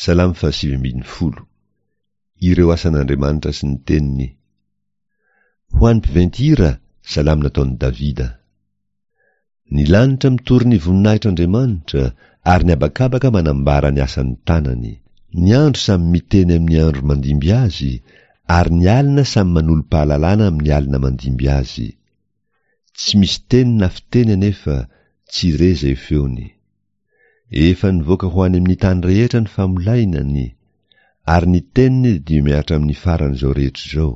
Salamo fahasivy ambin'ny folo. Ireo asan'Andriamanitra sy ny teniny. Ho an'ny mpiventy hira, salamo nataon'i Davida. Ny lanitra mitory ny voninahitr'Andriamanitra, ary ny habakabaka manambara ny asan'ny tanany. Ny andro samy miteny amin'ny andro mandimby azy, ary ny alina samy manolo-pahalalana amin'ny alina mandimby azy. Tsy misy teny na fiteny anefa, tsy re izay feony. Efa nivoaka ho any amin'ny tany rehetra ny famolainany, ary ny teniny dia mihatra amin'ny faran'izao rehetra izao.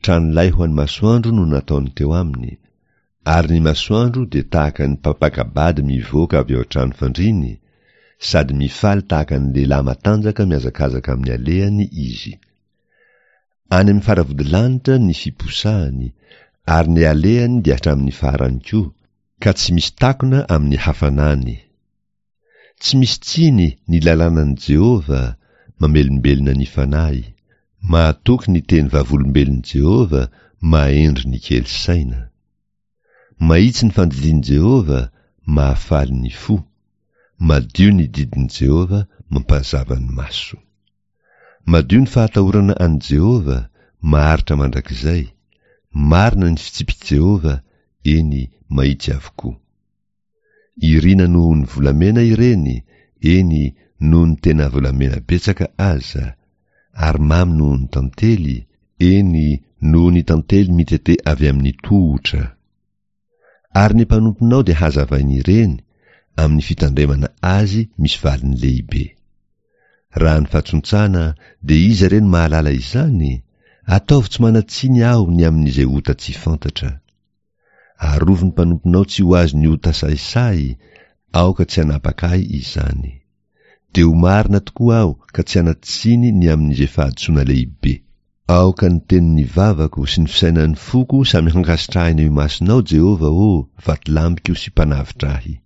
Tranolay ho an'ny masoandro no nataony teo aminy, ary ny masoandro dia tahaka ny mpampaka-bady mivoaka avy ao an-trano fandriany, sady mifaly tahaka ny lehilahy matanjaka mihazakazaka amin'ny alehany izy. Any amin'ny faravodilanitra ny fiposahany, ary ny alehany dia hatramin'ny farany koa, ka tsy misy takona amin'ny hafanany. Tsy misy tsiny ny lalànan'i Jehovah, mamelombelona ny fanahy. Mahatoky ny teny vavolombelon'i Jehovah, mahendry ny kely saina. Mahitsy ny fandidian'i Jehovah, mahafaly ny fo. Madio ny didin'i Jehovah, mampazava ny maso. Madio ny fahatahorana an'i Jehovah, maharitra mandrakizay. Marina ny fitsipik'i Jehovah, eny, mahitsy avokoa. Irina noho ny volamena ireny, eny, noho ny tena volamena betsaka aza, ary mamy noho ny tantely, eny, noho ny tantely mitete avy amin'ny tohotra. Ary ny mpanomponao dia hazavain'ireny, amin'ny fitandremana azy misy valiny lehibe. Raha ny fahatsontsana, dia iza re no mahalala izany? Ataovy tsy manan-tsiny aho ny amin'izay ota tsy fantatra. Arovy ny mpanomponao tsy ho azon'ny ota sahisahy, aoka tsy hanapaka ahy izany. Dia ho marina tokoa aho ka tsy hanan-tsiny ny amin'izay fahadisoana lehibe. Aoka ny tenin'ny vavako sy ny fisainan'ny foko samy hankasitrahina eo imasonao, Jehovah ô, Vatolampiko sy Mpanavotra ahy.